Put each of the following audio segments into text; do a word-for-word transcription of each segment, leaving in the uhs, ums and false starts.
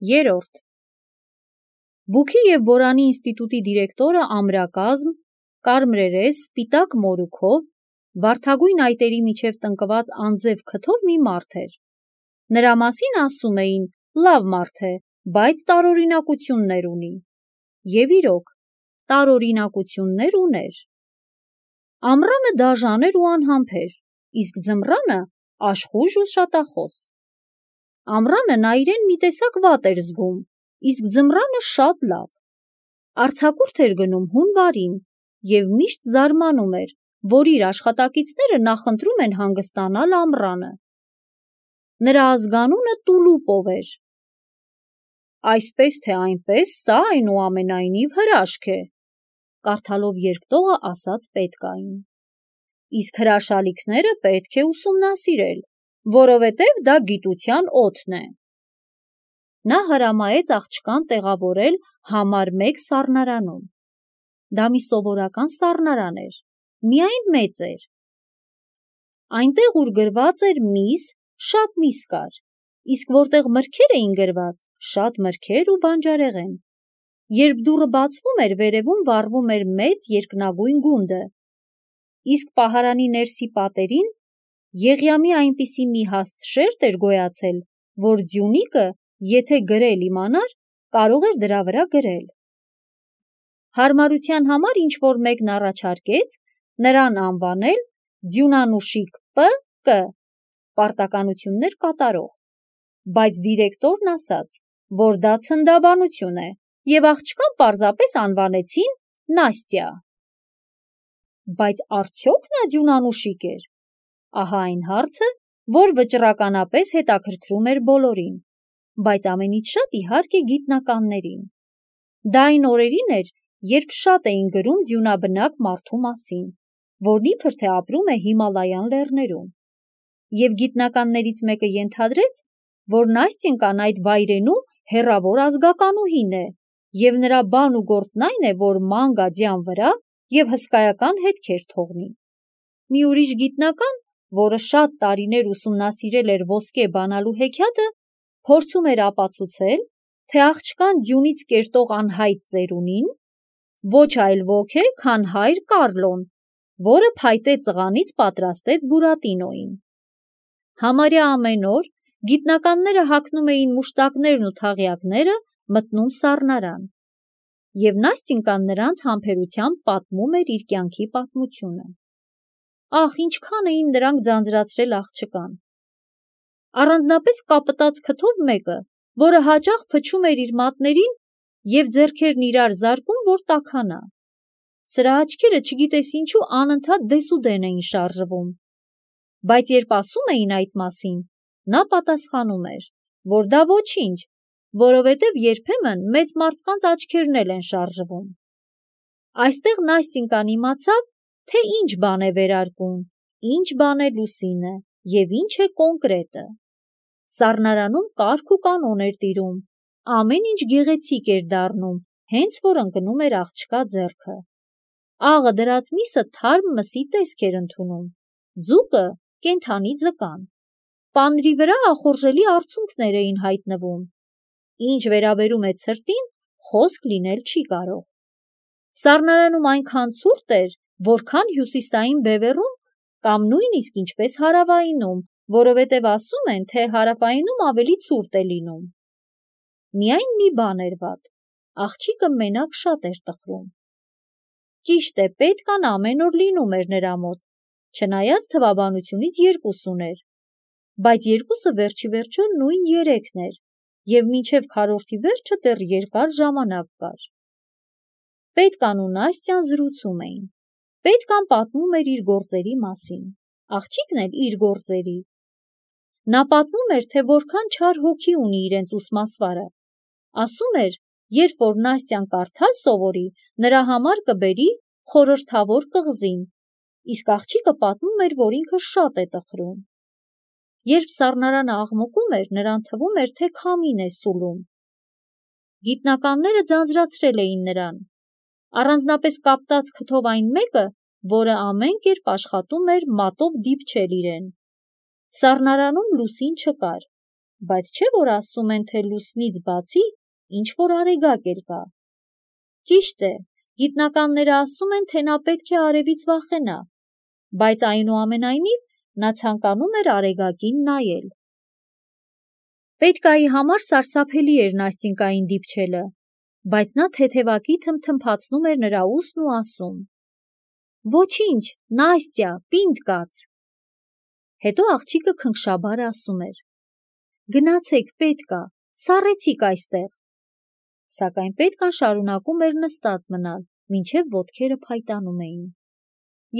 Երորդ Բուքի և Բորանի ինստիտուտի դիրեկտորը ամրակազմ, կարմրերես, սպիտակ մորուքով, վարդագույն այտերի միջև տնկված անձև քթով մի մարդ էր։ Նրա մասին ասում էին՝ լավ մարդ է, բայց տարօրինակություններ ունի։ Եվ իրոք, տարօրինակություններ ուներ։ Ամռանը դաժան էր ու անհամբեր, իսկ ձմռանը աշխույժ ու շատախոս։ Ամռանը նա իրեն մի տեսակ վատ էր զգում, իսկ ձմռանը շատ լավ։ Արձակուրդ էր գնում հունվարին և միշտ զարմանում էր, որ իր աշխատակիցները նախընտրում են հանգստանալ ամռանը։ Նրա ազգանունը Տուլուպով էր։ Այսպես թե այնպես, սա այնուամենայնիվ հրաշք է, կարդալով երկտողը ասաց պետկային։ Իսկ հրաշալիքները պետք է ուսումնասիրել, որովհետև դա գիտության օդն է։ Նա հրամայեց աղջկան տեղավորել համար մեկ սառնարանում։ Դա մի սովորական սառնարան էր, միայն մեծ էր։ Այնտեղ, ուր գրված էր «Միս», շատ միս կար, իսկ որտեղ մրգեր էին գրված, շատ մրգեր ու բանջարեղեն։ Երբ դուռը բացվում էր, վերևում վառվում էր մեծ երկնագույն գունդը, իսկ պահարանի ներսի պատերին եղյամի այնպիսի մի հաստ շերտ էր գոյացել, որ Ձյունիկը, եթե գրել իմանար, կարող էր դրա վրա գրել։ Հարմարության համար ինչ-որ մեկն առաջարկեց նրան անվանել Ձյունանուշիկ Պ Կ պարտականություններ կատարող, բայց դիրեկտորն ասաց, որ դա ցնդաբանություն է, և աղջկան պարզապես անվանեցին Նաստյա։ Բայց արդյոք նա ձյունանուշիկ էր։ Ահա այն հարցը, որ վճռականապես հետաքրքրում էր բոլորին, բայց ամենից շատ իհարկե գիտնականներին։ Դա այն օրերին էր, երբ շատ էին գրում ձյունաբնակ մարդու մասին, որն իբր թե ապրում է Հիմալայան լեռներում։ Եվ գիտնականներից մեկը ենթադրեց, որ Նաստենկան այդ վայրենու հեռավոր ազգականուհին է, և նրա բան ու գործն այն է, որ ման գա ձյան վրա և հսկայական հետքեր թողնի։ Մի ուրիշ գիտնական, որը շատ տարիներ ուսումնասիրել էր ոսկե բանալու հեքիաթը, փորձում էր ապացուցել, թե աղջկան ձյունից կերտող անհայտ ծերունին ոչ այլ ոք է, քան հայր Կառլոն, որը փայտե ծղանից պատրաստեց Բուրատինոյին։ Համարյա ամեն օր գիտնականները հագնում էին մուշտակներն ու թաղյակները, մտնում սառնարան, և Նաստենկան նրանց համբերությամբ պատմում էր իր կյանքի պատմությունը։ Ահ, ինչքան էին նրանք ձանձրացրել աղջկան։ Առանձնապես կապտած քթով մեկը, որը հաճախ փչում էր իր մատներին և ձեռքերն իրար զարկում, որ տաքանա։ Սրա աչքերը չգիտես ինչու անընդհատ դեսուդեն էին շարժվում։ Բայց երբ ասում էին այդ մասին, նա պատասխանում էր, որ դա ոչինչ, որովհետև երբեմն մեծ մարդկանց աչքերն էլ են շարժվում։ Այստեղ Նաստենկան իմացավ, թե ինչ բան է վերարկուն, ինչ բան է լուսինը և ինչ է կոնկրետը։ Սառնարանում կարգ ու կանոն էր տիրում, ամեն ինչ գեղեցիկ էր դառնում, հենց որ ընկնում էր աղջկա ձեռքը։ Աղը դրած միսը թարմ մսի տեսք էր ընդունում, ձուկը կենդանի ձկան։ Պանրի վրա ախորժելի արցունքներ էին հայտնվում։ Ինչ վերաբերում է ցրտին, խոսք լինել չի կարող։ Սառնարանում այնքան ցուրտ էր, որքան հյուսիսային բևեռում կամ նույնիսկ ինչպես հարավայինում, որովհետև ասում են, թե հարավայինում ավելի ցուրտ է լինում։ Միայն մի բան էր վատ, աղջիկը մենակ շատ էր տխրում։ Ճիշտ է, պետքան ամեն օր լինում էր նրա մոտ, չնայած թվաբանությունից երկուս ուներ, բայց երկուսը վերջիվերջո նույն երեքն էր, և մինչև քառորդի վերջը դեռ երկար ժամանակ կար։ Պետկան ու Նաստյան զրուցում էին։ Պետկան պատմում էր իր գործերի մասին, աղջիկն էլ իր գործերի։ Նա պատմում էր, թե որքան չար հոգի ունի իրենց ուսմասվարը։ Ասում էր, երբ որ Նաստյան կարդալ սովորի, նրա համար կբերի խորհրդավոր կղզին, իսկ աղջիկը պատմում էր, որ ինքը շատ է տխրում։ Երբ սառնարանը աղմկում էր, նրան թվում էր, թե քամին է սուլում։ Գիտնականները ձանձրացրել էին նրան, առանձնապես կապտած քթով այն մեկը, որը ամեն կերպ աշխատում էր մատով դիպչել իրեն։ Սառնարանում լուսին չկար, բայց չէ որ ասում են, թե լուսնից բացի ինչ-որ արեգակ էլ կա։ Ճիշտ է, գիտնականները ասում են, թե նա պետք է արևից վախենա, բայց այնուամենայնիվ նա ցանկանում էր արեգակին նայել։ Պետկայի համար սարսափելի էր Նաստինկային դիպչելը, բայց նա թեթևակի թմթմփացնում էր նրա ուսն ու ասում. «Ոչինչ, Նաստյա, պինդ կաց»։ Հետո աղջիկը քնքշաբար ասում էր. «Գնացեք, պետք ա, սառեցիք այստեղ»։ Սակայն պետքան շարունակում էր նստած մնալ, մինչև ոտքերը փայտանում էին։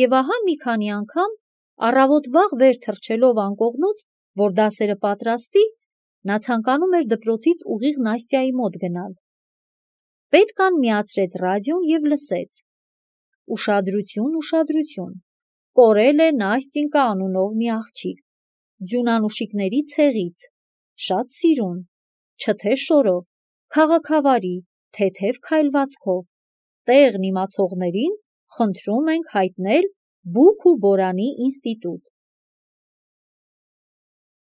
Եվ ահա մի քանի անգամ, առավոտ վաղ վեր թռչելով անկողնուց, որ դասերը պատրաստի, նա ցանկանում էր դպրոցից ուղիղ Նաստյայի մոտ գնալ։ Պետքան միացրեց ռադիոն և լսեց. «Ուշադրություն, ուշադրություն, կորել է Նաստինկա անունով մի աղջիկ, ձյունանուշիկների ցեղից, շատ սիրուն, չթե շորով, քաղաքավարի, թեթև քայլվածքով, տեղն իմացողներին խնդրում ենք հայտնել Բուք ու Բորանի ինստիտուտ»։